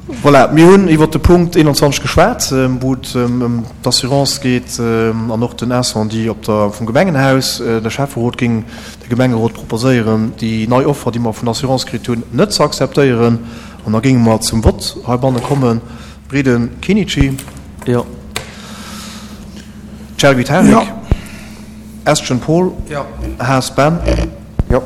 Voilà, mir hunn iwwert de Punkt 21 geschwat, wou et ëm d'Assurance geet an och den Incendie op der, vum Gemengenhaus. De Schäfferot géing de Gemengerot proposéieren, déi nei Offer, déi mer vun der Assurance kritt hunn, net ze akzeptéieren. An da géinge mer zum Vott heibanne kommen. Breden Kinici. Jo. Chergui Tarik. Jo. Estgen Paul. Jo. Haas Ben. Jo.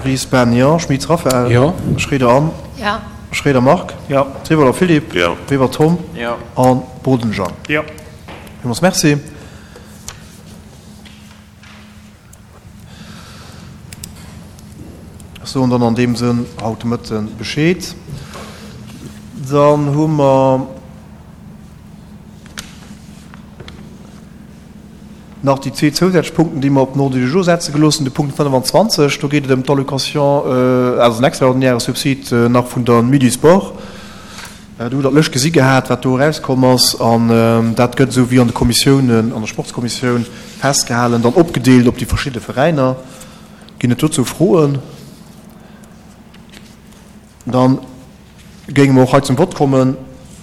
Ries Ben, jo. Schmitz Raphaël. Jo. Schroeder Anne. Jo. Schroeder Marc. Jo. Trivoller Philippe. Jo. Weber Tom. Jo. A Boden Jean. Jo. Villmools Merci. Ech soen dann an deem Sënn haut de Mëtte Bescheed. Dann hu mer nach déi zwee zousätzlech Punkten, déi mer op den Ordre du jour setze gelooss hunn. De Punkt 25, do geet et ëm d'Allocation, also en extraordinäre Subsid nach vun der Nuit du Sport. Do hutt Der d'Lëscht gesi gehat, wat do erauskomm ass. An dat gëtt, esou wéi an de Kommissiounen, an der Sportskommissioun festgehalen, dann opgedeelt op déi verschidde Veräiner. Ginn et dozou Froen? Dann géinge mer och hei zum Vott kommen.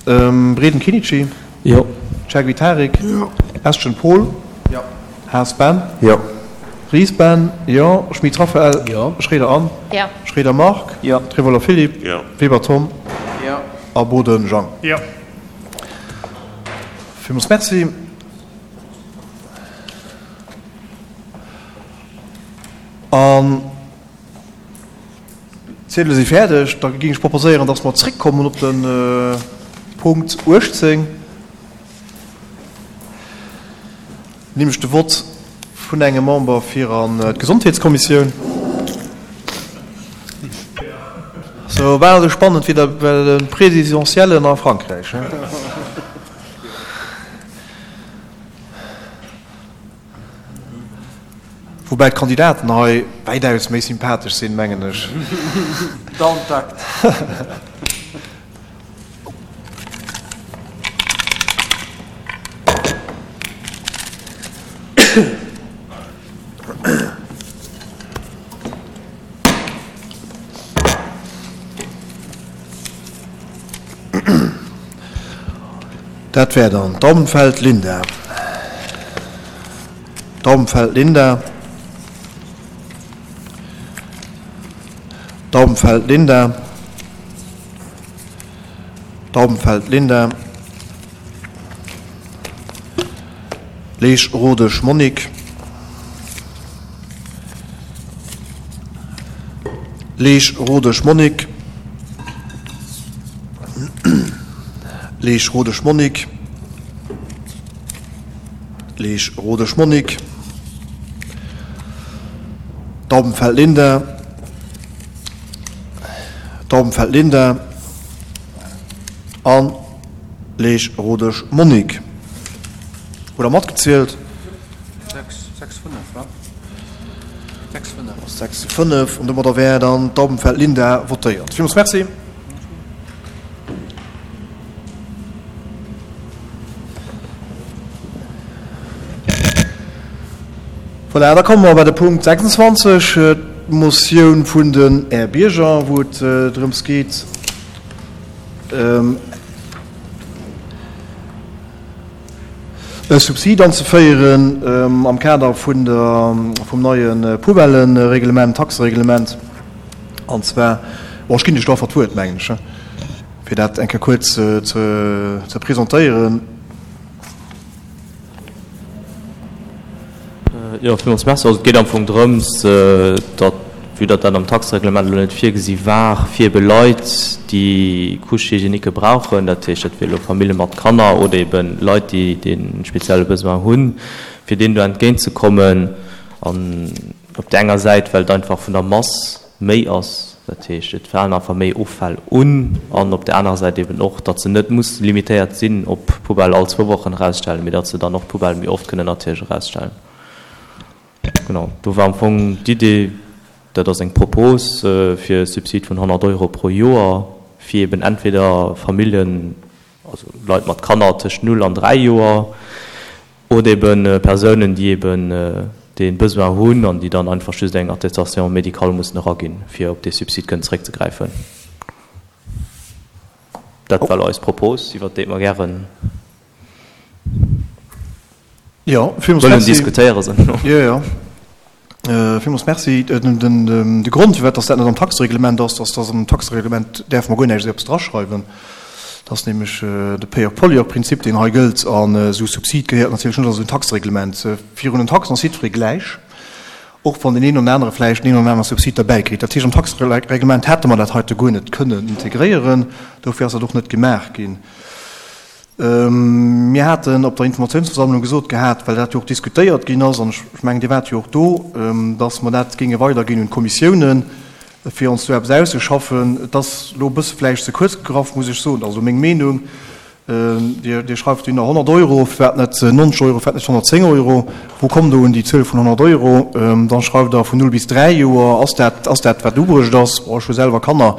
Breden Kinici. Jo. Chergui Tarik. Jo. Estgen Paul. Jo. Haas Ben. Jo. Ries Ben. Jo. Schmit Raphaël. Jo. Schroeder Anne. Jo. Schroeder Marc. Jo. Trevoller Philippe. Jo. Weber Tom. Jo. A Boden Jang. Jo. Villmools Merci. An d'Ziedele si fäerdeg. Da géing ech proposéieren, dass mer zréckkommen op de Punkt 18, nämlech de Vott vun engem Member fir an d'Gesondheetskommissioun. Sou bal esou spannend wéi bei de Présidentiellen a Frankräich. Woubäi d'Kandidaten hei wäitaus méi sympathesch sinn, mengen ech. Down Takt. Dat wär dann Daubenfeld Linda. Daubenfeld Linda. Daubenfeld Linda. Daubenfeld Linda. Leesch Rodesch Monique. Leesch Rodesch Monique. Leesch Rodesch Monique. Leesch Rodesch Monique. Daubenfeld Linda. Daubenfeld Linda an Leesch Rodesch Monique. Hutt Der matgezielt? 6 zu 5 an domadder wär dann d'Daubenfeld Linda votéiert. Villmools Merci. Voilà, da komme mer bei de Punkt 26, d'Motioun vun den Är Bierger, wou et drëms geet, e Subsid anzeféieren am Kader vun der, vum neie Poubellenreglement, Taxereglement. An zwar, bon, ech ginn lech do einfach d'Wuert, mengen ech, fir dat eng Kéier kuerz ze presentéieren. Jo, villmools Merci. Also et geet am Fong drëms, datt, vue datt dat am Taxereglement elo net virgesi war, fir ebe Leit, déi Couche-hygiéniquë brauchen, dat heescht, dat wier elo Famillje mat Kanner oder ebe Leit, déi dee spezielle Besoin hunn, fir deenen do entgéintzekommen. An op där enger Säit, well et einfach vun der Mass méi ass, dat heescht, et falen einfach méi Offäll un, an op där anerer Säit eben och, datt se net muss limitéiert sinn op d'Poubelle all zwou Wochen erausstellen, mee datt se dann och d'Poubelle méi oft kënnen natierlech erausstellen. Genau, do war am Fong d'Idee, dat ass eng Propos fir e Subsid vun 100 Euro pro Joer, fir eben entweder Familljen, also Leit mat Kanner tëscht null an 3 Joer, Oder eben Persounen, déi eben dee Besoin hunn an déi dann einfach just eng Attestation médicale mussen eraginn, fir op dee Subsid kënnen zeréckzegräifen. Dat war elo eis Propos, iwwert déi mer gären Jo, villmools wëllen Merci. diskutéieren, soen ech elo. Jo, jo. Villmools Merci. De Grond, firwat dass dat net am Taxereglement ass, dass dass am Taxereglement däerfe mer guer näischt esou eppes draschreiwen. Dat ass nämlech de Payeur-pollueur-Prinzip, deen hei gëllt. An esou Subsid gehéiert natierlech net a esou en Taxereglement. Virun den Taxen ass jiddweree gläich, och wann deen een oder anere vläicht den een oder anere Subsid derbäi kritt. Dat heescht, am Taxereglement hätte mer dat heite guer net kënnen integréieren. Dofir ass dat och net gemaach ginn. Mir haten op der Informatiounsversammlung gesot gehat, well dat jo och diskutéiert ginn ass, an ech mengen, Dir waart jo och do, dass mer dat géinge weiderginn un d'Kommissiounen, fir ons do eppes auszeschaffen. Et ass elo e bësse vläicht ze kuerz gegraff, muss ech soen, also meng Meenung. Dir schreift dunn 100 Euro, firwat net 90 Euro, firwat net 110 Euro? Wou kommt Der un déi Zuel vun 100 Euro? Da schreift Der vun 0 bis 3 Joer. Ass dat, ass dat wat ubruecht ass? Bon, ech hu selwer Kanner,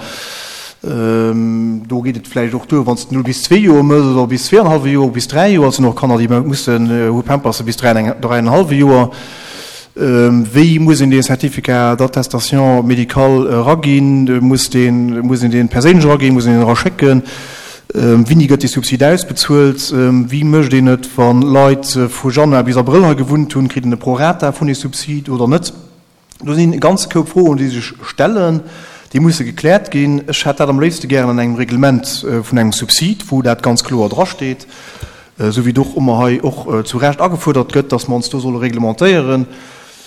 do geet et vläicht och duer, wann s de 0 bis zwee Joer mëss oder bis zweeanenhallwe Joer, bis 3 Joer. Et sinn och Kanner, déi mussen, hu Pamperse bis 3, dräienhallwe Joer. Wéi muss een dee Certificat d'attestation médicale eraginn? Muss deen, muss een dee perséinlech eraginn? Muss een deen eraschécken? Wéini gëtt dee Subsid ausbezuelt? Wéi mécht een et, wa Leit vu Januar bis Abrëll hei gewunnt hunn? Kritt een e Prorata vun dee Subsid oder net? Do sinn e ganze Koup Froen, déi sech stellen, déi musse gekläert ginn. Ech hätt dat am léifste gären an engem Reglement vun engem Subsid, wou dat ganz kloer drasteet, esou wéi et och ëmmer hei och zu Recht agefuerdert gëtt, dass mer ons do solle reglementéieren.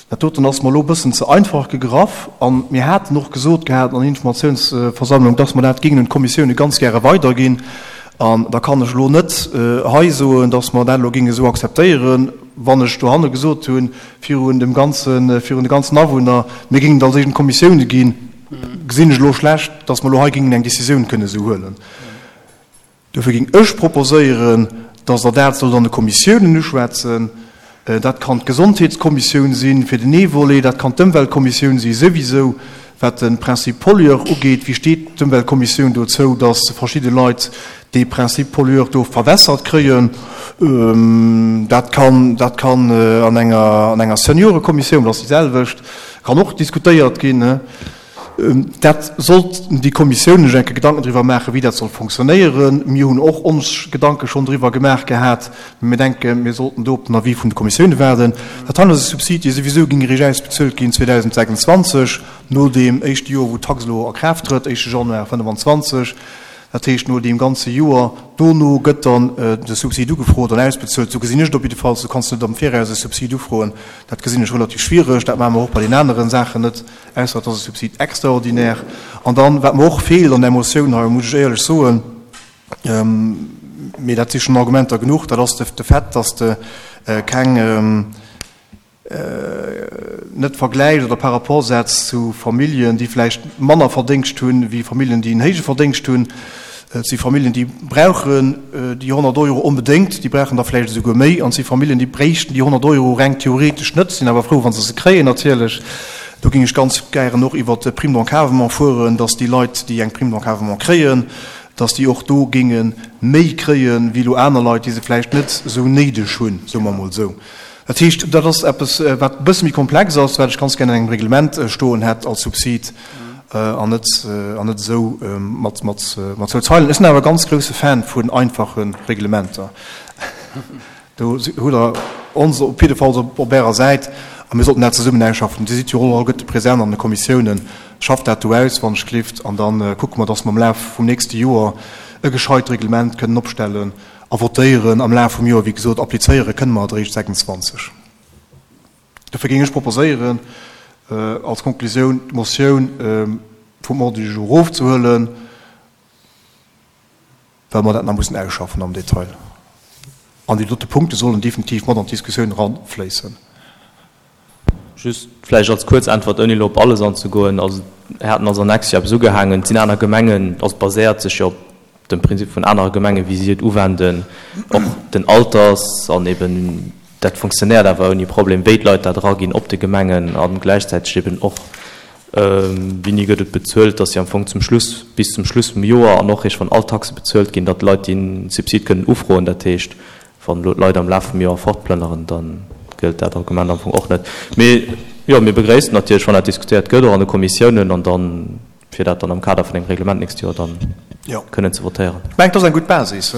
Dat doten ass mer elo e bëssen ze einfach gegraff. A mir haten och gesot gehat an der Informatiounsversammlung, dass mer dat géingen un d'Kommissioune ganz gäre weiderginn. An da kann ech elo net hei soen, dass mer dat elo géingen esou akzeptéieren, wann ech dohanne gesot hunn, virun dem ganzen, virun de ganzen Awunner, mir géingen et als éischt un d'Kommissioune ginn, gesinn ech elo schlecht, dass mer elo hei géingen eng Décisioun kënne esou huelen. Dofir géing ech proposéieren, dass Der dat sollt an de Kommissiounen uschwätzen. Dat kann d'Gesondheetskommissioun sinn fir den ee Volet, dat kann d'Ëmweltkommissioun si souwisou, wat de Principe pollueur ugeet. Wéi steet d'Ëmweltkommissioun dozou, dass verschidde Leit dee Principe pollueur do verwässert kréien? Dat kann, dat kann an enger, an enger Seniorekommissioun, dat ass déi selwecht, kann och diskutéiert ginn. Dat sollten déi Kommissiounen sech eng Kéier Gedanken driwwer maachen, wéi dat soll fonctionnéieren. Mir hunn och ons Gedanke schonn driwwer gemaach gehat, mä mir denken, mir sollten do op den Avis vun de Kommissioune waarden. Dat hei ass e Subsid, dee souwisou géing eréischt ausbezuelt ginn 2026, no deem éischte Joer, wou d'Tax elo a Kraaft trëtt, éischte Januar 2025. Dat heescht, no deem ganze Joer dono gëtt dann de Subsid ugefrot an ausbezuelt. Esou gesinn ech et op jiddefalls. Du kanns net am Viraus e Subsid ufroen. Dat gesinn ech relativ schwiereg. Dat maache mer och bei den anere Saachen net. Ausser et ass e Subsid extraordinaire. An dann, wat mer och feelt an där Motioun hei, muss ech éierlech soen, mee dat si schonn Argumenter genuch, dat ass de Fait, dass de keng, net vergläichs oder par rapport setz zu Familljen, déi vläicht manner Verdéngscht hunn, wéi Familljen, déi en héije Verdéngscht hunn. Et si Familljen, déi brauchen déi 100 Euro onbedéngt, déi brauchen der vläicht esouguer méi. An et si Familljen, déi bréichten déi 100 Euro reng theoretesch net, sinn awer frou, wa se se kréien natierlech. Do géing ech ganz gären och iwwert d'Prime d'encadrement fueren, dass déi Leit, déi eng Prime d'encadrement kréien, dass déi och do géinge méi kréien, wéi elo aner Leit, déi se vläicht net esou néideg hunn, soe mer emol esou. Dat heescht, dat ass eppes, wat e bësse méi komplex ass, wat ech ganz gären an engem Reglement stoen hätt als Subsid. An net, an net esou mat, mat, mat zwou Zeilen. Ech sinn awer e ganz grousse Fan vun einfache Reglementer. Do hutt Der ons op jiddefalls op, op Ärer Säit a mir sollten dat zesummen ausschaffen. Dir sidd jo och alleguerte present an de Kommissiounen. Schafft dat do aus, wann ech gelift, an da kucke mer, dass mer am Laf vum nächste Joer e gescheit Reglement kënnen opstellen a votéieren am Laf vum Joer. Wéi gesot, applizéiere kënne mer et eréischt 26. Dofir géing ech proposéieren, als Konklusioun d'Motioun vum Ordre du jour erofzehuelen, well mer dat nach mussen ausschaffen am Detail. An déi dote Punkte sollen definitiv mat an d'Diskussioun eranfléissen. Just vläicht als kuerz Äntwert, ouni elo op alles anzegoen. Also, mir haten als Annex jo eppes ugehaangen. Et sinn aner Gemengen, also et baséiert sech jo op dem Prinzip vun anere Gemengen, wéi si et uwenden, och den Alters an eben dat funktionéiert awer ouni Problem, wéi d'Leit dat eraginn op de Gemengen a gläichzäiteg eben och wéini gëtt et bezuelt, dass si am Fong zum Schluss, bis zum Schluss vum Joer an och eréischt wann all d'Taxe bezuelt ginn, datt d'Leit dee Subsid kënnen ufroen. Dat heescht, wann elo d'Leit am Laf vum Joer fortplënneren, da gëllt dat Argument am Fong och net. Mee jo, mir begréissen natierlech, wann dat diskutéiert gëtt, och an de Kommissiounen an dann, fir dat dann am Kader vun engem Reglement d'nächst Joer dann. Kënnen ze votéieren. Ech mengen, dat ass eng gutt Basis.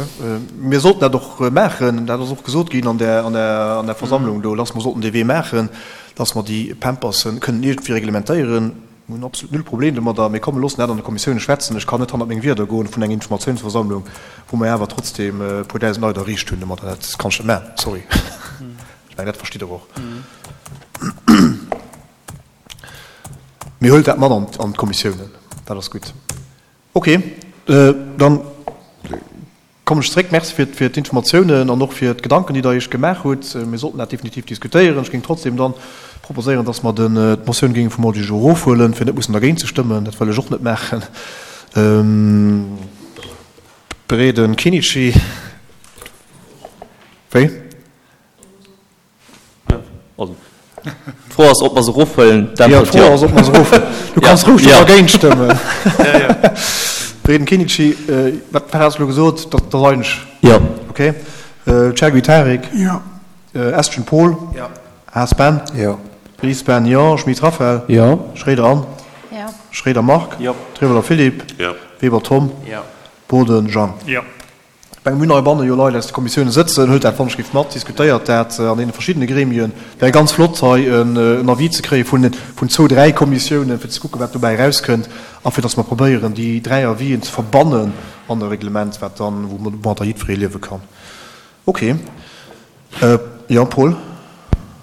Mir sollten dat och maachen. Dat ass och gesot ginn an där Versammlung do, dass mer sollten dee Wee maachen, dass mer déi Pampersen kënnen iergendwéi reglementéieren. Mir hunn absolut null Problem domadder. Mee komm, mir loossen dat an de Kommissiounen schwätzen. Ech kann net hannert meng Wierder goen vun enger Informatiounsversammlung, wou mer awer trotzdeem e puer dausend Leit erreecht hunn domadder. Dat kann ech net maachen. Sorry. Ech mengen, dat verstitt Der och. Mee huelt dat mat an d'Kommissiounen. Dat ass gutt. Ok, dann kommen ech zréck. Merci fir d'Informatiounen an och fir d'Gedanken, déi Der Iech gemaach hutt. Mir sollten dat definitiv diskutéieren. Ech géing trotzdem dann proposéieren, dass mer d'Motioun géinge vum Ordre du jour erofhuelen, fir net mussen dergéint ze stëmmen. Dat wëll ech och net maachen. Breden Kinnici. Wéi? Also, d'Fro ass, ob mer se erofhuelen. Jo, d'Fro ass, ob mer se erofhuelen. Du kanns roueg do dergéint stëmmen. Breden Kinnici, wat hat s de elo gesot? Dat ass eigentlech. Jo. Okay. Chergui Tarik. Jo. Estgen Paul. Jo. Haas Ben. Jo. Ries Ben, jo. Schmit Raphaël. Jo. Schroeder Anne. Jo. Schroeder Marc. Jo. Trewelder Philippe. Jo. Weber Tom. Jo. Boden Jean. Jo. Ech menge mir hunn heibanne jo Leit aus de Kommissiounen sëtzen. Huelt dat wann-ech-giff mat, diskutéiert dat an deene verschiddene Gremien. Et wär ganz flott hei en Avis ze kréie vun vun zwou, dräi Kommissiounen, fir ze kucken, wat dobäi erauskënnt a fir datt mer probéieren, déi dräi Avisen ze verbannen an e Reglement, wat dann, woumadder jiddweree liewe kann. Ok. Jo, Paul?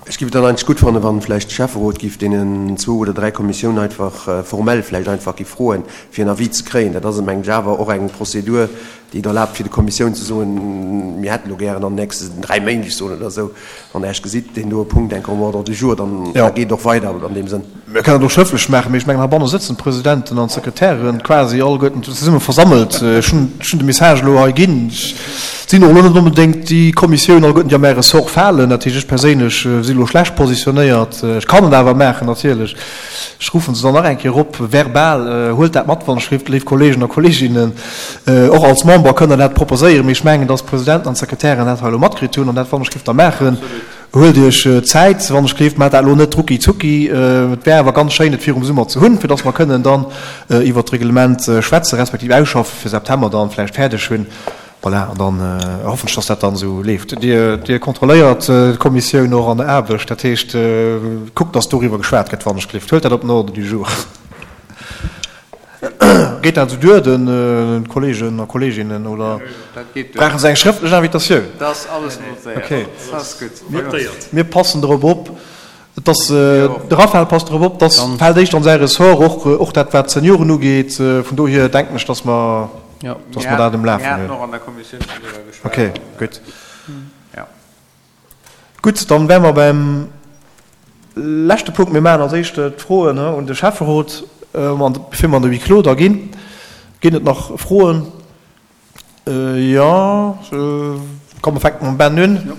Ech géif et dann eigentlech gutt fannen, wann vläicht de Schäfferot géif deenen zwou oder dräi Kommissiounen einfach formell vläicht einfach géif froen, fir en Avis ze kréien. Dat ass, mengen ech, awer och eng Prozedur, déi et erlaabt, fir de Kommissiounen ze soen, mir hätten elo gären an den nächsten dräi Méint, ech soen, oder esou, wann Der Iech gesitt, deen doe Punkt enk um Ordre du jour, dann geet et och weider an deem Sënn. Mir kënnen et och schrëftlech maachen, mee ech mengen, heibanne sëtzen d'Presidenten an d'Sekretären quasi alleguerten zesumme versammelt. Ech hunn de Message elo hei ginn. Et sinn och elo net onbedéngt déi Kommissiounen alleguerten, déi a mäi Ressort falen. Dat heescht, ech perséinlech si elo schlecht positionéiert. Ech kann et awer maachen, natierlech. Ech ruffen se dann nach eng Kéier op, verbal. Huelt dat mat, wann ech léif, léif Kolleegen a Kolleeginnen. Och als Member kënnt Der dat proposéieren, mee ech mengen, dass d'Presidenten an d'Sekretären dat hei elo matkritt hunn an dat, wann ech géif da maachen. Huelt Iech Zäit, wann ech gleeft, maacht dat elo net rucki zucki. Et wär awer ganz schéin, et virum Summer ze hunn, fir dass mer kënnen dann iwwert d'Reglement schwätzen, respektiv ausschaffen, fir September dann vläicht fäerdeg hunn. Voilà, an dann hoffen ech, dass dat dann esou leeft. Dir, Dir kontrolléiert d'Kommissioun och an der Aarbecht, dat heescht, kuckt, dass doriwwer geschwat gëtt, wann ech gleeft. Huelt dat op den Ordre du jour. Geet dat esou duer de Kollegen a Kolleginnen oder brauche se eng schrëftlech Invitatioun? Dat ass alles notéiert. Okay. Dat ass gutt. Mir passen drop op, dass, de Raphaël passt drop op, dass fält éischter an säi Ressort, och, och dat wat d'Senioren ugeet. Vun dohier denken ech, dass mer, dass mer dat um Lafen hunn. Mir haten och an der Kommissioun schonn driwwer geschwat. Okay, gutt. Gutt, dann wäre mer beim leschte Punkt. Mir maachen als éischt d'Froen un de Schäfferot, bevir mer an de Huis clos da ginn. Ginn et nach Froen? Jo, komm, mer fänke mam Ben un.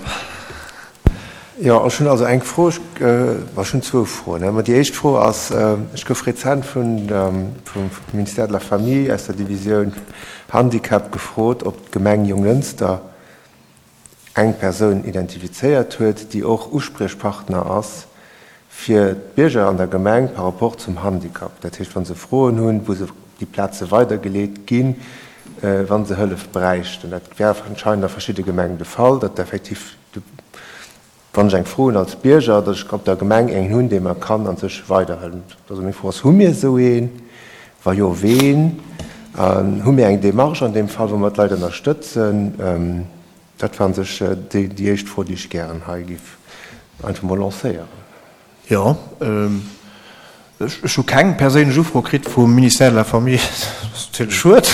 Jo, ech hunn also eng Fro, ech hunn zwou Froen. Mä déi éischt Fro ass, ech gouf rezent vum Ministère de la Famille aus der Divisioun Handicap gefrot, ob d'Gemeng Jonglënster eng Persoun identifizéiert huet, déi och Uspriechpartner ass fir d'Bierger an der Gemeng par rapport zum Handicap. Dat heescht, wa se Froen hunn, wou se op déi Plaze weidergeleet ginn, wa se Hëllef bräichten. Dat wär anscheinend a verschidde Gemengen de Fall, datt effektiv, wann ech eng Fro hunn als Bierger, datt ech op der Gemeng een hunn, dee mer kann a sech weiderhëllen. Also meng Fro ass, Hu mir esou een? Wa jo, ween? An hu mir eng Démarche an deem Fall, wou mer d'Leit ënnerstëtzen? Dat war a sech déi éischt Fro, déi ech gären hei géif einfach mol lancéieren. Jo, ech hu keng perséinlech Ufro kritt vum Ministère de la Famille. Dat ass natierlech schued.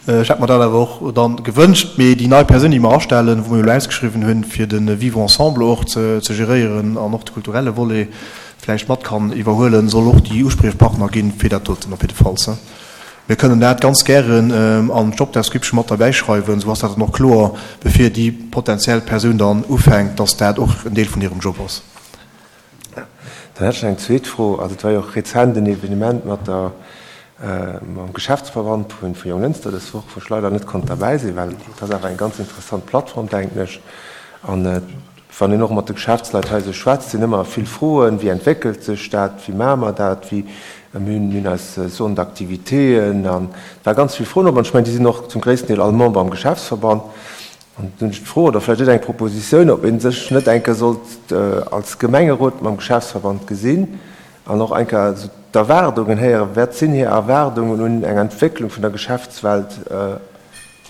Ech hätt mer dat awer och dann gewënscht. Mee déi nei Persoun, déi mer astellen, wou mer jo elo ausgeschriwwen hunn, fir de Vivre ensemble och ze geréieren an och de kulturelle Volet vläicht mat kann iwwerhuelen, soll och déi Uspriechpartner ginn fir dat doten op jiddefalls. Mir kënnen dat ganz gären an d'Job description mat derbäi schreiwen, esou ass dat dann och kloer, bevir déi potentiell Persoun dann ufänkt, dass dat och en Deel vun hirem Job ass. Dann hätt ech nach eng zweet Fro. Also et war jo och rezent en Evenement mat der, mam Geschäftsverband vu Jonglënster dës Woch, wou ech leider net konnt derbäi sinn, well et ass awer eng ganz interessant Plattform, denken ech. An. wann een och mat de Geschäftsleit hei esou schwätzt, sinn ëmmer vill Froen, Wéi entwéckelt sech dat, wéi maache mer dat, wéi, mir hunn, mir hunn eis Zone d'activitéen an et war ganz vill Froen op. An ech mengen, déi sinn och zum gréissten Deel all Member am Geschäftsverband. An dunn hunn ech d'Fro, oder vläicht net eng Propositioun, ob ee sech net eng Kéier sollt als Gemengerot mam Geschäftsverband gesinn an och eng Kéier esou d'Erwaardungen héieren, Wat sinn hir Erwaardungen un eng Entwécklung vun der Geschäftswelt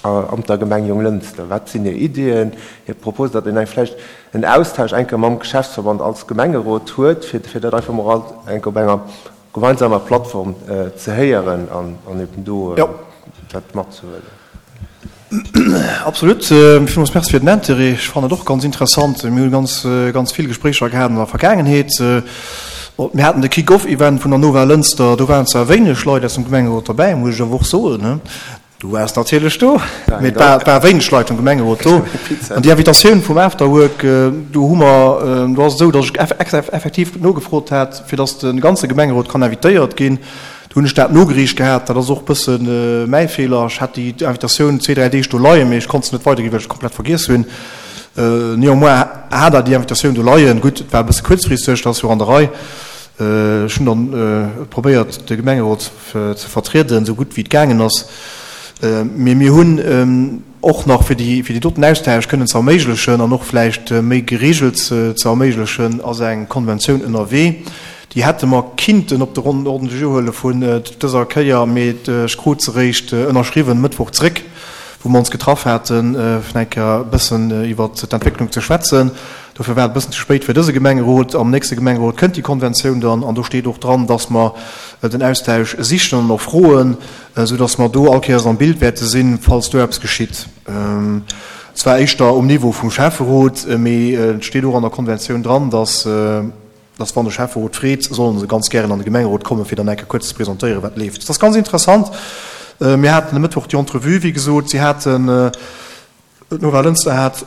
an der Gemeng Jonglënster? Wat sinn hir Iddien, hir Proposen, datt een eng vläicht en Austausch eng Kéier mam Geschäftsverband als Gemengerot huet, fir dat einfach mol eng Kéier op enger gemeinsamer Plattform ze héieren an eben do dat matzehuelen. Absolut. Villmools Merci fir den Intérêt. Ech fannen et och ganz interessant. Mir hu ganz, ganz vill Gespréicher gehat an der Vergaangenheet. Mir haten de Kick-off-Event vun der Nova Lënster. Do waren zwar wéineg Leit aus dem Gemengerot derbäi, muss ech awer och soen. Du waars natierlech do, mee et war wéineg Leit vum Gemengerot do. An déi Invitatioun vum Afterwork, do hu mer, do ass et esou, datt ech effektiv nogefrot hat, fir datt de ganze Gemengerot kann invitéiert ginn. Do hunn ech dat nogereecht gehat. Dat ass och e bësse mäi Feeler. Ech hat déi Invitatioun zwee, dräi Deeg do leien, mee ech konnt se net weiderginn, well ech et komplett vergiess hunn. Néanmoins hat Der déi Invitatioun do leien. Gutt, et war e bësse kuerzfristeg, dat ass jo och an der Rei. Ech hunn dann probéiert, de Gemengerot ze vertrieden, esou gutt wéi et gaangen ass. Mee mir hunn och nach, fir déi, fir déi doten Austausch kënnen ze erméiglechen an och vläicht méi geregelt ze erméiglechen, ass eng Konventioun ënnerwee. Déi hätte mer kinnten op de Ordre du jour huele vun dëser Kéier, mee ech krut se eréischt ënnerschriwwen Mëttwoch zréck, wou mer ons getraff haten, fir eng Kéier e bëssen iwwert d'Entwécklung ze schwätzen. Dofir war et e bëssen ze spéit fir dëse Gemengerot. Am nächste Gemengerot kënnt déi Konventioun dann an do steet och dran, dass mer den Austausch sichen an och froen, esou dass mer do all Kéiers am Bild wäerte sinn, falls do eppes geschitt. Zwar éischter um Niveau vum Schäfferot, mee et steet och an der Konventioun dran, dass, dass wann de Schäfferot freet, solle se ganz gären an de Gemengerot kommen, fir dann eng Kéier kuerz ze presentéieren, wat leeft. Dat ass ganz interessant. Mir haten e Mëttwoch déi Entrevue, wéi gesot. Si haten, d'Nora Lënster hat,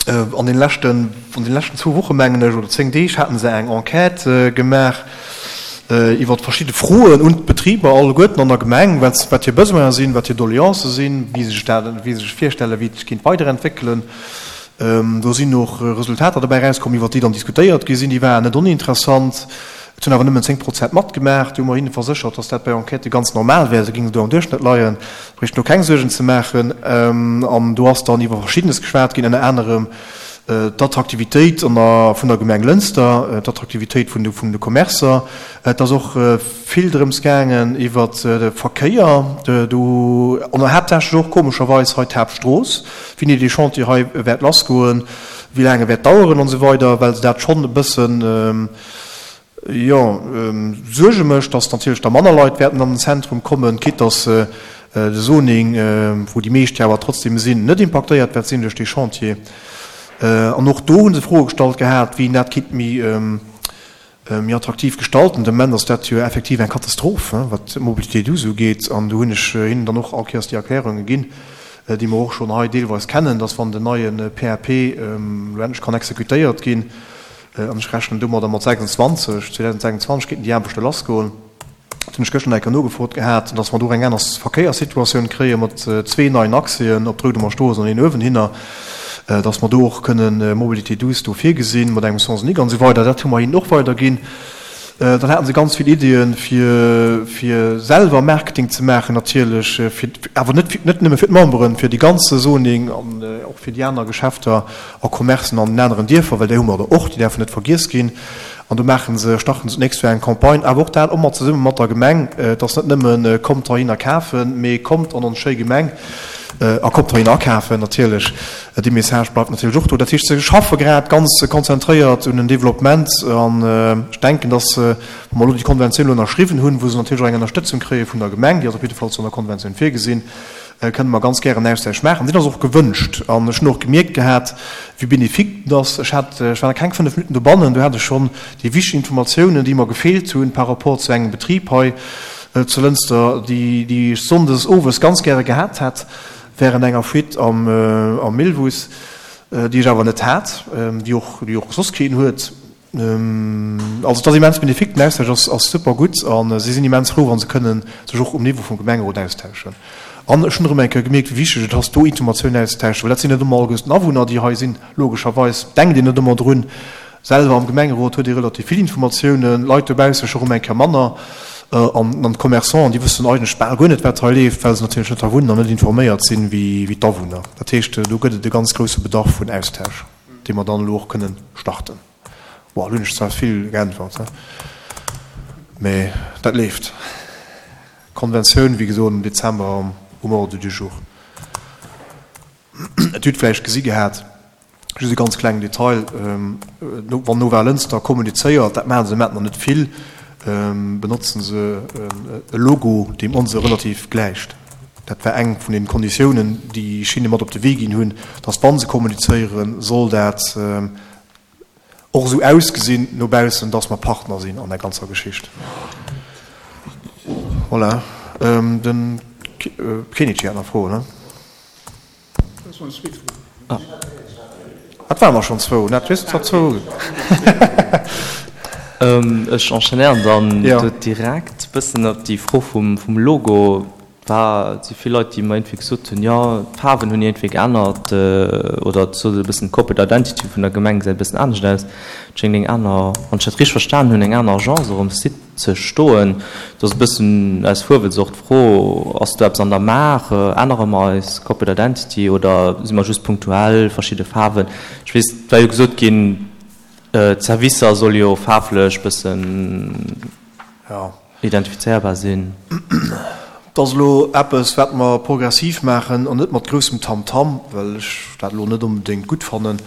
An den leschten, an den leschten zwou Woche mengen ech, oder 10 Deeg, haten se eng Enquête gemaach iwwert verschidde Froen un d'Betriber alleguerten an der Gemeng, wat wat hir Besoinen sinn, wat hir Doleancë sinn, wéi se sech dat, wéi se sech virstellen, wéi et sech kéint weiderentwéckelen. Do sinn och Resultater dobäi erauskomm, iwwert déi dann diskutéiert gi sinn. Déi waren net oninteressant. Et hunn awer nëmmen 10 Prozent matgemaach. Do hu mer hinne verséchert, dass dat bei Enquêtë ganz normal wär, se géingen do am Duerchschnëtt leien, bréichten do keng Suergen ze maachen. An do ass dann iwwer Verschiddenes geschwat ginn, ënner anerem d'Attraktivitéit an der, vun der Gemeng Lënster, d'Attraktivitéit vun de, vun de Commercer. Et ass och vill drëms gaangen iwwert de Verkéier do, an haaptsächlech och komescherweis hei d'Haaptstrooss, wéini dee Chantier hei wäert lassgoen, wéi laang e wäert daueren an esou weider, well se dat schonn e bëssen, Jo, Suerge mécht, datt natierlech da manner Leit wäerten an den Zentrum kommen, quitte datt de Zoning, wou déi meescht jo awer trotzdem sinn, net impaktéiert wäert sinn duerch dee Chantier. An och do hu se Froe gestallt gehat, wéi een dat kinnt méi, méi attraktiv gestalten. De Moment ass dat jo effektiv eng Katastroph, wat d'Mobilité douce ugeet. An do hunn ech hinnen dann och all Kéiers déi Erklärunge ginn, déi mer och schonn hei deelweis kennen, datt wann den neie PAP elo endlech kann exekutéiert ginn, An ech rechnen domadder mat 26, 2026 kéinten déi Aarbechte lassgoen. Dat hunn ech gëschter nach eng Kéier nogefrot gehat, dass mer do och eng aner Verkéierssituatioun kréie mat zwee neien Accèsen op d'Roudemer Strooss an een uewenhinner, dass mer do och kënnen Mobilité douce do virgesinn mat engem Sens unique an esou weider. Dat hu mer hinnen och weiderginn. Dann haten se ganz vill Iddien, fir, fir selwer Marketing ze maachen natierlech, fir, awer net, net nëmme fir d'Memberen, fir déi ganze Zoning an och fir déi aner Geschäfter a Commercen an den aneren Dierfer, well déi hu mer der och, déi däerfen net vergiess ginn. An do maache se, starten se d'nächst Joer eng Campagne, awer och dat ëmmer zesumme mat der Gemeng. Et ass net nëmme kommt heihinner kafen, mee kommt an ons schéi Gemeng a kommt heihinner akafen natierlech. Dee Message bleift natierlech och do. Dat heescht, se schaffe grad ganz konzentréiert un den Developpement an ech denken, dass, wa mer elo déi Konventioun elo ënnerschriwwen hunn, wou se natierlech och eng Ënnerstëtzung kréie vun der Gemeng, déi ass op jidde Fall zu der Konventioun virgesinn, kënne mer ganz gären Austausch maachen. Deen ass och gewënscht an ech hunn och gemierkt gehat, wéi bénéfique dat ass. Ech hat, ech war nach keng 5 Minutten dobannen, do hat ech schonn déi wichteg Informatiounen, déi mer gefeelt hunn par rapport zu engem Betrib hei zu Lënster, déi, déi ech sonndes owes ganz gäre gehat hätt während enger Fuite am, am Millwuss, déi ech awer net hat, déi och, déi och soss keen huet. Also et ass immens bénéfique, den Austausch ass, ass super gutt a si sinn immens frou, wa se kënnen sech och um Niveau vum Gemengerot austauschen. An ech hunn erëm eng Kéier gemierkt, wéi wichteg et ass, do Informatiounen auszetauschen, well dat sinn net ëmmer alleguerten Awunner, déi hei sinn. Logescherweis denkt een net ëmmer drun. Selwer am Gemengerot huet ee relativ vill Informatiounen, Leit dobausse scho rëm eng Kéier manner. An d'Commerçanten, déi wëssen eigentlech bal guer net, wat hei leeft, well se natierlech net hei wunnen an net informéiert sinn, wéi d'Awunner. Dat heescht, do gëtt et e ganz grousse Bedarf vun Austausch, dee mer dann elo och kënnen starten. Bon, elo hunn ech zwar vill geäntwert, mä dat leeft. D'Konventioun, wéi gesot, am Dezember um Ordre du jour. Et hutt vläicht gesi gehat, just e ganz klengen Detail, wann Nova Lënster kommunizéiert, dat maache se mat nach net vill, benotzen se e Logo, deem onse relativ gläicht. Dat war eng vun den Konditiounen, déi ech hinne mat op de Wee ginn hunn, dass wa se kommunizéieren, soll dat och esou ausgesinn no baussen, dass mer Partner sinn an der ganzer Geschicht. Voilà. Den Kenichi hat nach Froen, ne? Dat waren der schonn zwou, dat weess der zwou. Ech enchaînéieren dann do direkt e bëssen op déi Fro vum Logo. Et si vill Leit, déi mer iergendwéi gesot hunn, jo, d'Faarwen hunn iergendwéi geännert oder et sot e bëssen d'Corporate Identity vun der Gemeng gesäit e bëssen anescht aus. Et schéngt eng aner, wann ech dat richteg verstan hunn, eng aner Agence och um Site ze stoen. Do ass e bëssen aus Fuerwëlz och d'Fro, Ass do eppes an der Maach? Ännere mer eis Corporate Identity oder si mer just punktuell verschidde Faarwen? Ech weess, et war jo gesot ginn, d'Servicer solle jo faarflech bëssen. Identifizéierbar sinn. Et ass elo eppes, wat mer progressiv maachen an net mat groussem Tamtam, well ech dat elo net onbedéngt gutt fannen.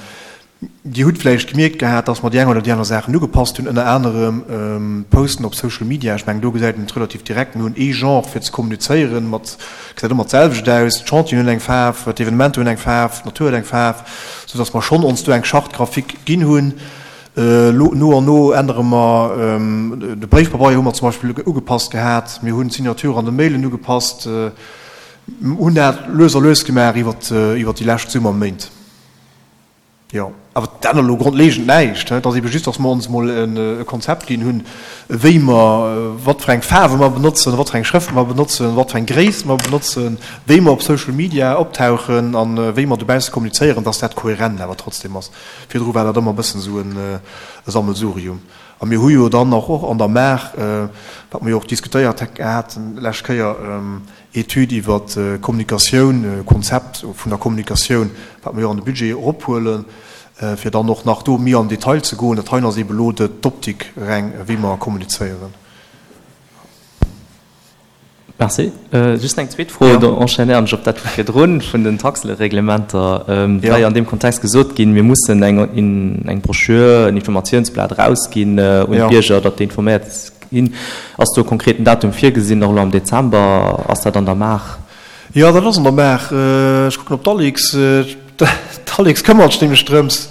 Dir hutt vläicht gemierkt gehat, dass mer déi eng oder déi aner Saachen ugepasst hunn, ënner anerem d'Posten op Social Media. Ech mengen, do gesäit een et relativ direkt. Mir hunn ee Genre fir ze kommunizéieren, mat, gesäit ëmmer d'selwecht aus. D'Chantieren hunn eng Faarf, d'Evenementer hunn eng Faarf, d'Natur huet eng Faarf, soudass mer schonn ons do eng Charte graphique ginn hunn. Elo no an no ännere mer, de Bréifpabeier hu mer zum Beispill ugepasst gehat, mir hunn d'Signature an de Mailen ugepasst, hunn dat lues a lues gemaach iwwert déi lescht Summerméint. Jo, awer dat ännert elo grondlegend näischt. Et ass eebe just, datt mer ons emol e Konzept ginn hunn, wéi mer, wat fir eng Faarwe mer benotzen, wat fir eng Schrëft mer benotzen, wat fir eng Gréisst mer benotzen, wéi mer op Social Media optauchen a wéi mer dobausse kommunizéieren, datt dat kohärent awer trotzdem ass. Virdru war dat ëmmer e bëssen esou e Sammelsurium. A mir hu jo dann och och an der Maach, wat mer jo och diskutéiert haten d'lescht Kéier, Etüd iwwer d'Kommunikatioun, Konzept vun der Kommunikatioun, wat mer jo an de Budget erophuelen, fir dann och nach do méi am Detail ze goen. Dat heien ass eebe elo d'Optik reng, wéi mer kommunizéieren. Merci. Just eng zweet Fro, do enchaînéieren ech op dat vu virdrun, vun den Taxereglementer. Et war jo an deem Kontext gesot ginn, mir mussen eng eng Broschür, en Informatiounsblat erausginn un d'Bierger, datt déi informéiert ginn. Ass do e konkreten Datum virgesinn, och elo am Dezember? Ass dat an der Maach? Jo, dat ass an der Maach. Ech kucken op d'Alix. D'Alix këmmert sech nämlech drëms.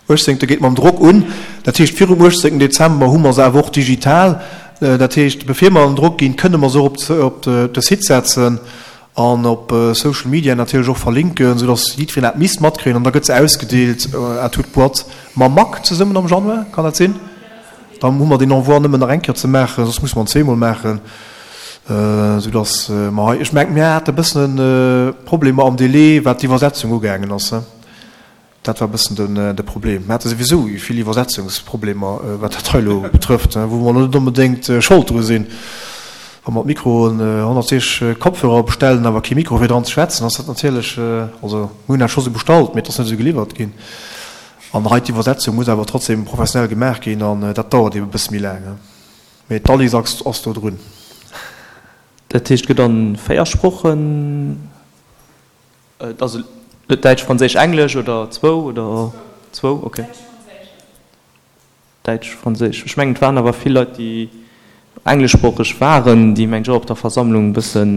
Uechtzéngte geet mam Drock un. Dat heescht, virum uechtzéngten Dezember hu mer se awer och digital. Dat heescht, bevir mer an den Drock ginn, kënne mer se och op de Site setzen an op Social Media natierlech och verlinken, soudass jiddwereen dat misst matkréien. An da gëtt se ausgedeelt à toute boîte mam MAC zesummen am Januar, kann dat sinn? Dann hu mer deen Envoi nëmmen nach eng Kéier ze maachen, soss musse mer en zweemol maachen, soudass mer hei, ech mengen, mir hate e bëssen Problemer am Délai, wat d'Iwwersetzung ugaangen ass. Dat war e bëssen de Problem. Mir hate souwisou vill Iwwersetzungsproblemer, wat dat hei elo betrëfft, wou mer elo net onbedéngt Schold dru sinn. Wa mer d'Mikroen, 160 Kopfhörer bestellen, awer kee Mikro fir dran ze schwätzen, ass dat natierlech, also mir hunn dat scho sou bestallt, mee et ass net esou geliwwert ginn. An hei d'Iwwersetzung muss awer trotzdem professionell gemaach ginn an dat dauert eebe e bësse méi laang. Mee d'Alice ass do drun. Dat heescht, et gëtt an 4 Sprochen. Et ass et Däitsch, Franséisch, Englesch oder zwou oder zwou? Okay. Däitsch, Franséisch. Ech mengen, et waren awer vill Leit, déi engleschsproocheg waren, déi, mengen ech, och op der Versammlung e bëssen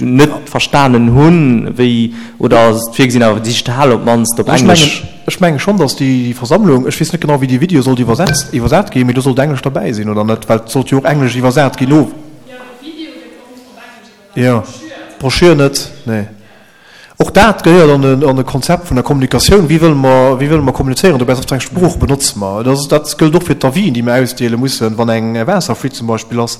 net verstanen hunn, wéi, oder ass et virgesinn, awer digital op d'mannst op Englesch? Ech menge schonn, datt déi Versammlung, ech weess net genau, wéi dee Video sollt iwwersetzt, iwwersat ginn, mee do sollt Englesch derbäi sinn, oder net? Well et sollt jo och Englesch iwwersat ginn no. Jo, d'Broschür net, nee. Och dat gehéiert an e, an e Konzept vun der Kommunikatioun. Wéi wëlle mer, wéi wëlle mer kommunizéieren? Dobäi wat fir eng Sprooch benotze mer? Dat ass, dat gëllt och fir d'Avisen, déi mer ausdeele mussen, wann eng Waasserfuite zum Beispill ass.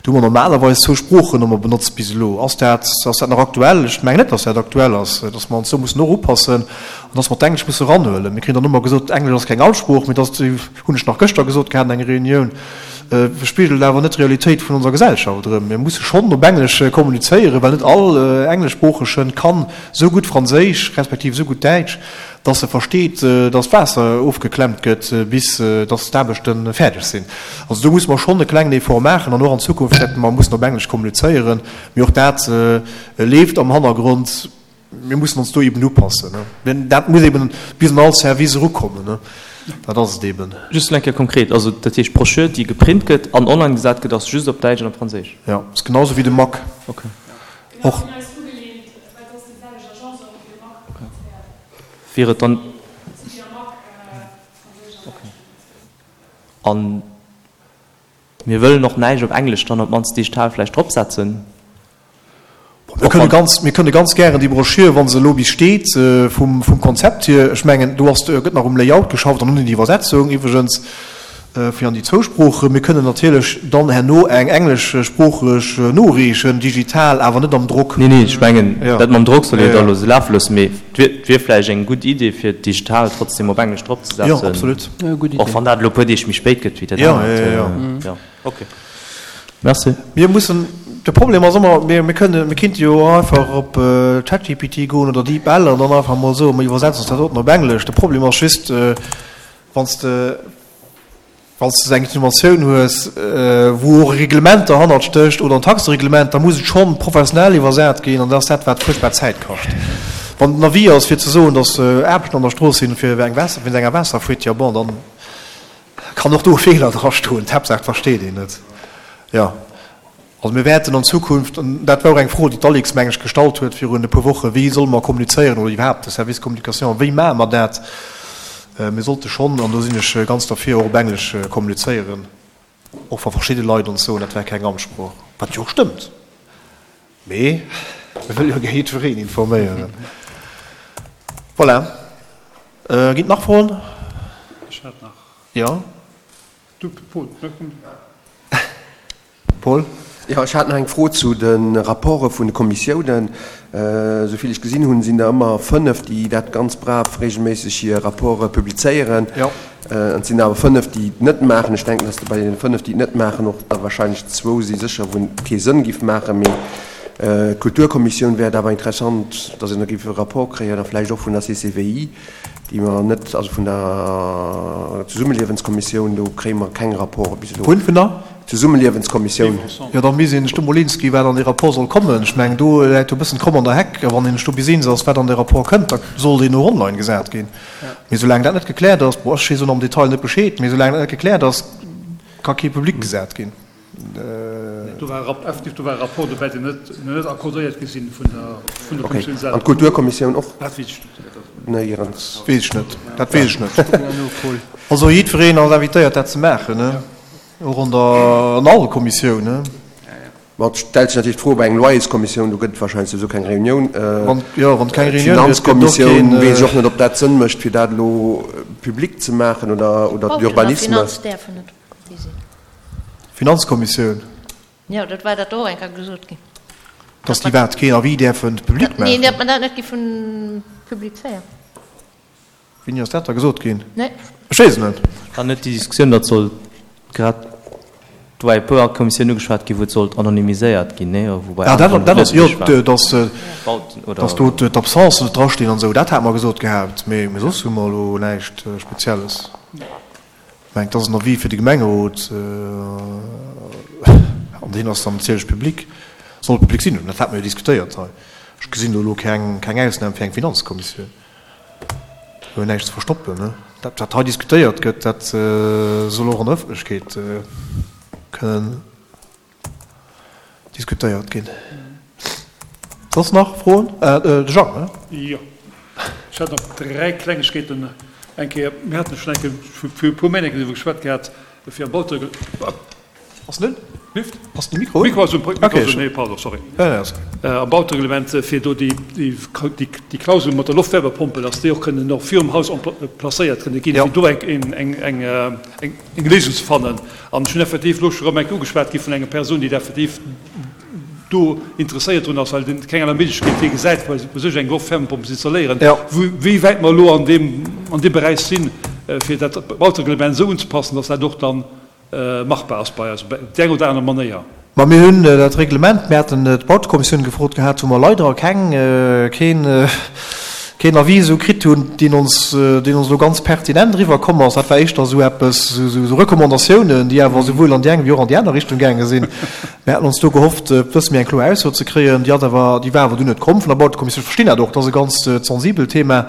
Do hu mer normalerweis zwou Sproochen ëmmer benotzt bis elo. Ass dat, ass dat nach aktuell? Ech mengen net, dass dat aktuell ass, dass mer ons do mussen och upassen an dass mer d'Englesch musse eranhuelen. Mir kréien dann ëmmer gesot, Englesch ass keng Amtssprooch, mee dass, hunn ech nach gëschter gesot gehat an enger Reunioun, spigelt awer net d'Realitéit vun onser Gesellschaft erëm. Mir musse schonn op Englesch kommunizéieren, well net all Engleschsproochegen kann esou gutt Franséisch respektiv esou gutt Däitsch, dass e versteet, dass d'Waasser ofgeklemmt gëtt, bis dass d'Aarbechte fäerdeg sinn. Also do musse mer schonn e klengen Effort maachen an och an Zukunft wäerte mer mussen op Englesch kommunizéieren. Mee och dat leeft am Hannergrond. Mir mussen ons do eben upassen. Dat muss eben bis an all Service erukommen. Dat ass et eben. Just eng Kéier konkret, also dat heescht d'Broschür, déi geprint gëtt an online gesat gëtt, ass just op Däitsch an op Franséisch? Jo, ass genau esou wéi de Mac och. Wier et dann. An mir wëllen och näischt op Englesch dann op d'mannst digital vläicht dropsetzen. Mir kënne ganz, mir kënne ganz gären déi Broschür, wa se elo bis steet, vum, vum Konzept hier, ech mengen, do ass, gëtt nach um Layout geschafft an un den Iwwersetzung iwwregens, fir an déi zwou Sproochen. Mir kënnen natierlech dann herno eng engleschsproocheg noreechen, digital, awer net am Drock. Nee, nee, ech mengen, dat mam Drock soll een da elo esou lafe loossen, mee et wier vläicht eng gutt Idee, fir digital trotzdem op Englesch dropzesetzen. Jo, absolut. Och wann dat elo e puer Deeg méi spéit gëtt wéi dat anert. Jo, ok. Merci. Mir mussen, de Problem ass ëmmer, mir, mir kënnen, mir kinnte jo och einfach op ChatGPT goen oder DeepL an dann einfach emol soen, mir iwwersetzen ons dat doten op Englesch. De Problem ass just, Wann s de wann s de eng Innovatioun hues, wou och e Reglement derhannert stécht oder en Taxereglement, da muss et schonn professionell iwwersat ginn an dat ass dat, wat fuerchtbar Zäit kascht. Wann den Avis ass, fir ze soen, datt Aarbechten an der Strooss sinn fir eng Waasser, wéinst enger Waasserfuite, jo bon, dann kann och do e Feeler drastoen. D'Haaptsaach, et versteet een et. Jo. Also mir wäerten an Zukunft, an dat war och eng Fro, déi d'Alix, meng ech, gestallt huet virun e puer Wochen, wéi solle mer kommunizéieren oder iwwerhaapt de Service Communication, wéi maache mer dat? Mir sollte schonn, an do sinn ech ganz derfir, och op Englesch kommunizéieren, och wa verschidde Leit ons soen, dat wär keng Amtssprooch, wat jo och stëmmt, mee mir wëlle jo gär jiddwereen informéieren. Voilà. Ginn et nach Froen? Ech hat nach. Jo. Du, Paul. Paul? Jo, ech hat nach eng Fro zu de Rapporte vun de Kommissiounen. Esou vill ech gesinn hunn, sinn der ëmmer fënnef, déi dat ganz brav regelméisseg hir Rapporte publizéieren. Jo. An et sinn awer fënnef, déi et net maachen. Ech denken, dass bei deene fënnef, déi et net maachen, och der wahrscheinlech zwou si sécher, wou et kee Sënn giff maachen. Mee d'Kulturkommissioun wär et awer interessant, dass een da giff e Rapport kréien a vläicht och vun der CCVI. déi mer net, also vun der Zesummeliewenskommissioun, do kréie mer keng Rapporte bis elo. Vun? Vun der? Zesummeliewenskommissioun. Jo, da misst een sech do mol eens ginn, wat an dee Rapport soll kommen. Ech mengen, do läit jo e bëssen d'Kromm an der Heck. A wann een sech do bis eens ass, wat an dee Rapport kënnt, da soll deen och online gesat ginn. Mee soulaang dat net gekläert ass, bon, ech weess och am Detail net Bescheed, mee soulaang dat net gekläert ass, ka kee public gesat ginn. Do war e effektiv, do war e Rapport dobäi, deen net, net accordéiert gi sinn vun der, vun der Kommissioun selwer. An d'Kulturkommissioun och? Dat weess ech net. Néierens. Weess ech net. Dat weess ech net. Also jiddwereen ass invitéiert, dat ze maachen, ne? Och an der, an all Kommissioun, ne? Ma et stellt sech natierlech d'Fro bei eng Loyerskommissioun, do gëtt et wahrscheinlech souwisou keng Reunioun. Wann, jo, wann et keng Reunioun gëtt, gëtt et och keen. D'Finanzkommissioun weess ech och net, ob dat Sënn mécht, fir dat elo public ze maachen oder, oder d'Urbanisme. Finanz däerfen net déi sinn. Finanzkommissioun. Jo, dat war dat och eng Kéier gesot ginn. Dass déi wat keen Avis däerfen public maachen? Nee, datt mer dat net giffen publizéieren. Wéini ass dat da gesot ginn? Nee. Ech weess et net. War net déi Diskussioun, datt sollt grad, do war e puer Kommissiounen ugeschwat ginn, wou et sollt anonymiséiert ginn, nee? Wou bei Ah, dat, aneren dat ass, jo, net méiglech war. dass, dass do d'Absencen net drastinn an esou, dat hate mer gesot gehat. Mee, mee soss hu mer elo näischt Spezielles. Ech mengen, et ass en Avis fir de Gemengerot, an deen ass dann natierlech public, soll public sinn. Dat hate mer jo diskutéiert hei. Ech gesinn do elo keng, keng Ausnam fir eng Finanzkommissioun. Do huet näischt ze verstoppen, ne? Dat, wat hei diskutéiert gëtt, dat soll och an der Ëffentlechkeet kënnen diskutéiert ginn. Soss nach Froen? De Jang, ne? Jo, ech hätt nach 3 Klengegkeeten. Eng Kéier, mir haten schonn eng Kéier vir e puer Méint eng Kéier driwwer geschwat gehat, fir am Bautereglement. Ass en un? Lift? Passt de Mikro? Mikro ass un, Mikro ass un, nee, pardon, sorry. Am Bautereglement, fir do déi, déi Klausel mat der Loftwärmepompel, dass déi och kënnen och virum Haus placéiert kënne ginn, fir do eng, eng, eng, eng Léisung ze fannen. An ech hunn effektiv elo scho erëm eng Kéier ugeschwat gi vun enger Persoun, déi effektiv do interesséiert drun ass, well en keng aner Méiglechkeet hie gesäit, bei sech eng Loftwärmepompel ze installéieren, wéi wäit mer elo an deem, an deem Beräich sinn, fir dat Bautereglement esou unzepassen, dass dat och dann machbar ass bei eis op déi eng oder aner Manéier. Ma mir hunn dat Reglement, mir haten d'Bautekommissioun gefrot gehat, wou mer leider keng, keen, keen Avis esou kritt hunn, deen ons, deen ons elo ganz pertinent eriwwer komm ass. Dat war éischter esou eppes, esou Recommandatiounen, déi awer esouwuel an déi eng wéi och an déi aner Richtung gaange sinn. Mir haten ons do gehofft, e bësse méi eng kloer Ausso ze kréien. Déi ass awer, déi war awer dunn net komm vun der Bautekommissioun. Ech verstinn dat och, dat ass e ganz sensibelt Thema.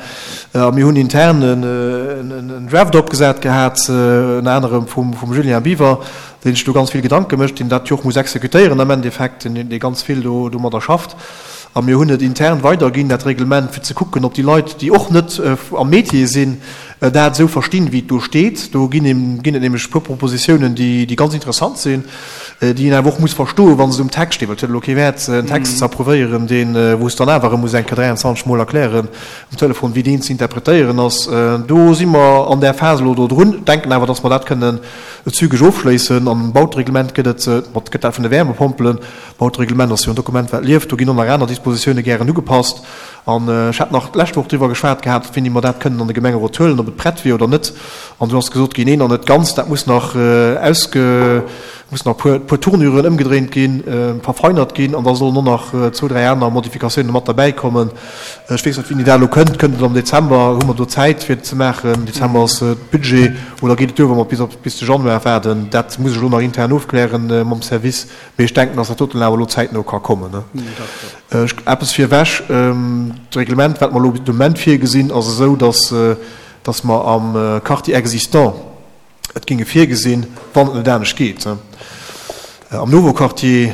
A mir hunn intern en Draft opgesat gehat, ënner anerem vum Julien Biwer, deen sech do ganz vill Gedanke mécht, deen dat jo och muss exekutéieren am Endeffekt, deen ganz vill do domadder schafft. A mir hunn et intern weiderginn, dat Reglement, fir ze kucken, ob déi Leit, déi och net am Métier sinn, dat esou verstinn, wéi et do steet. Do ginn et nämlech e puer Propositiounen, déi ganz interessant sinn, déi een awer och muss verstoen, wa se um Text stinn, well et huet elo kee Wäert, en Text ze approuvéieren, deen, wou s de dann awer erëm muss eng Kéier 23 Mol erklären um Telefon, wéi deen ze interpretéieren ass. Do si mer an där Phas elo do drun, denken awer, dass mer dat kënnen zügeg ofschléissen. An um Bautereglement gëtt et, mat gëtt dat vun de Wärmepompelen, Bautereglement ass jo en Dokument, wat lieft, do ginn och nach aner Dispositioune gären ugepasst. An ech hat nach d'lescht Woch driwwer geschwat gehat, wéini mer dat kënnen an de Gemengerot huelen, ob et prett wier oder net. An do ass gesot ginn, neen, nach net ganz, dat muss nach ausge, mussen nach e puer Tournuren ëmgedréint ginn, verfeinert ginn an da sollen och nach zwou, dräi aner Modifikatiounen mat derbäi kommen. Ech weess net, wéini dat elo kënnt. Kënnt et am Dezember? Hu mer do Zäit, fir et ze maachen? Dezember ass Budget. Oder geet et duer, wa mer bis de Januar waarden? Dat muss ech elo nach intern ofklären mam Service. Mee ech denken, dass dat doten awer elo zäitno ka kommen. Eppes virwech, D'Reglement, wat mer elo de Moment virgesinn, ass esou, dass, dass mer am Quartier existant et géinge virgesinn, wann et net anescht geet. Am Nouveau Quartier,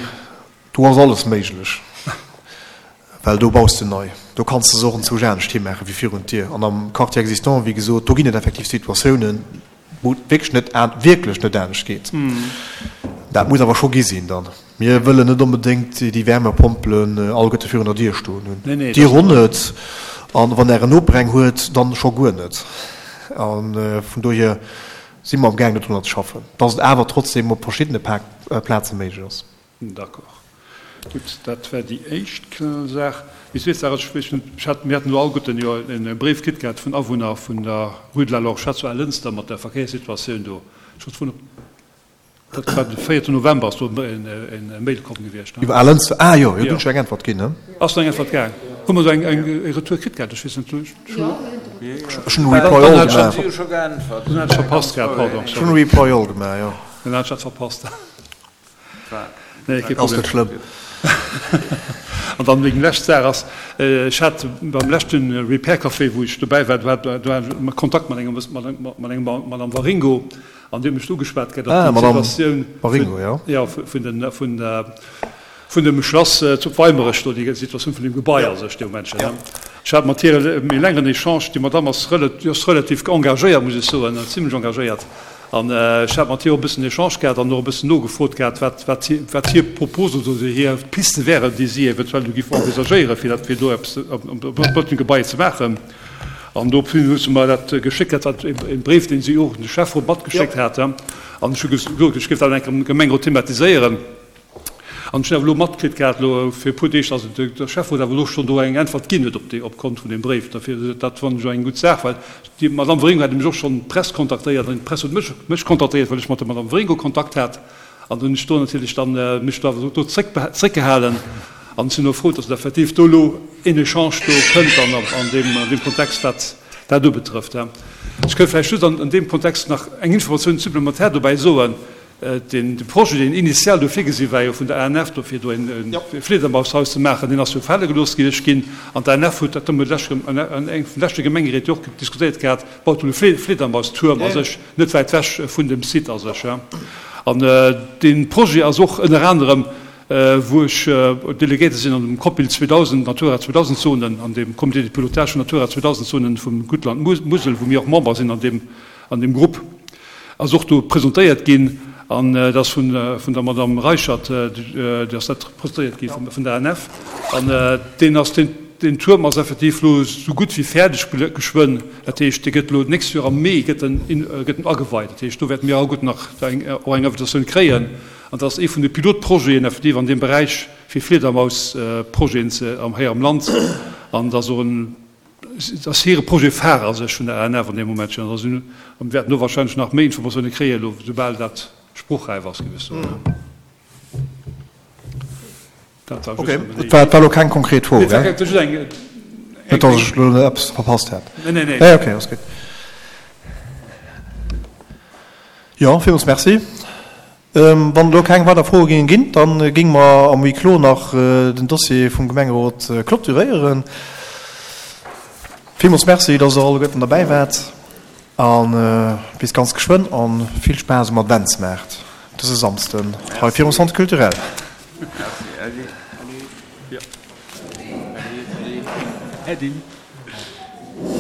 do ass alles méiglech, well do baus de nei. Do kanns de se och enzwousch anescht himaachen wéi virun d'Dier. An am Quartier existant, wéi gesot, do ginn et effektiv Situatiounen, wou et wierklech net, wierklech net anescht geet. Dat muss awer scho gi sinn dann. Mir wëllen net onbedéngt déi Wärmepompelen alleguerte virun der Dier stoen hunn. Dir och net. A wann Ären Noper eng huet, dann scho guer net. A vun dohier si mer amgaangen dodrunner ze schaffen, dass et awer trotzdem op verschiddene Plaze méiglech ass. D'accord. Gutt, dat war déi éischt Saach. Déi zweet Saach ass, ech weess net, ech hat, mir haten elo alleguerten jo e Bréif kritt gehat vun Awunner vun der Rue de la Lorchette zu Alënster mat der Verkéierssituatioun do. Ech wollt froen, ob Dat war de véierten November ass do e Mail komm gewiescht. Iwwer Alënster, ah jo, jo, do hunn ech eng Äntwert ginn, ne? Ass do eng Äntwert gaang? Hu mer do eng e Retour kritt gehat? Ech weess net. Ech hunn e Reply all gemaach. Dann hat ech verpasst gehat, pardon, sorry. Ech hunn e Reply all gemaach, jo. Dann hat ech dat verpasst. Nee, kee Problem. Ass net schlëmm. An dann meng lescht Saach ass, ech hat beim leschte Repair Café, wou ech dobäi war, do hat do hat ech Kontakt mat engem, mat engem Madame Waringo, An déi huet mech ugeschwat gehat op déi Situatioun vun dem Schlass zu Weimerech do, déi Situatioun vun deem Gebai a sech dee Moment. Ech hat mat hir e méi längeren Echange. Déi Madamm ass relativ engagéiert, muss ech soen, zimlech engagéiert. An ech hat mat hir och e bëssen Echange gehat an och e bëssen nogefrot gehat, wat hir Propos oder hir Piste wären, déi si eventuell do géif envisagéieren, fir do eppes op dem Gebai ze maachen. An dofir hu se mer dat geschéckt, dat war e Bréif, dee si och un de Schäfferot matgeschéckt haten. An ech hu gesot, ech géif dat eng Kéier am Gemengerot thematiséieren. An ech hunn awer elo matkritt gehat, elo fir e puer Deeg, datt de Schäfferot awer elo schonn do eng Äntwert ginn huet op déi, opgrond vun deem Bréif. Dofir, dat fannen ech och eng gutt Saach, well déi Madame Waringo hat nämlech och schonn d'Press kontaktéiert an d'Press huet mech, mech kontaktéiert, well ech mat der Madame Waringo Kontakt hat. An hunn ech do natierlech dann mech do awer do zréckgehalen an sinn och frou, datt effektiv do elo een Echange do kënnt dann an deem, an deem Kontext, wat dat ubetrëfft. Ech kënnt vläicht just an deem Kontext nach eng Informatioun supplémentaire dobäi soen, Den de Projet, deen initial do virgesi war jo vun der ANF, do fir do en Fliedermaushaus ze maachen, deen ass jo fale gelooss ginn. An d'ANF huet dat da an engem vun de leschte Gemengeréit jo och diskutéiert gehat, baut elo e Fliedermausturm a sech, net wäit wech vun dem Site a sech. An dee Projet ass och ënner anerem, wou ech Delegéierte sinn an dem COPIL 2000, Natura 2000 Zonen, an dem Comité de pilotage vun Natura 2000 Zonen vum Guttland Musel, wou mir och Member sinn an deem, an deem Grupp, ass och do presentéiert ginn. An dat ass vun der Madame Reichert, déi ass dat presentéiert gi vun der ANF. An deen ass, deen Tuerm ass effektiv elo esou gutt wéi fäerdeg geschwënn. Dat heescht, dee gëtt elo d'nächst Joer am Mee gëtt en, gëtt en ageweit. Dat heescht, do wäerte mir alleguerten nach eng, och eng Invitatioun kréien. An dat ass ee vun de Pilotprojeten effektiv an deem Beräich fir Fliedermausprojeten ze, hei am Land. An dat ass och en, Et ass hire Projet phare a sech vun der ANF an deem Moment schonn. Also mir wäerten do wahrscheinlech nach méi Informatioune kréien elo, soubal dat spruchräif ass, géif ech soen. Dat war just nëmmen déi. Okay, et war elo keng konkret Fro, gell? Nee, et war just eng. Net, datt ech elo eppes verpasst hätt. Nee, nee, nee. Nee, okay, ass gutt. Jo, villmools Merci. Wann elo keng weider Froe géinge ginn, da géinge mer am Huis clos nach den Dossier vum Gemengerot clôturéieren. Villmools Merci, dass Der alleguerten derbäi waart a bis ganz geschwënn a vill Spaass um Adventsmaart dëse Samsden hei virum Centre culturel. Merci, Äddi. Äddi. Äddi.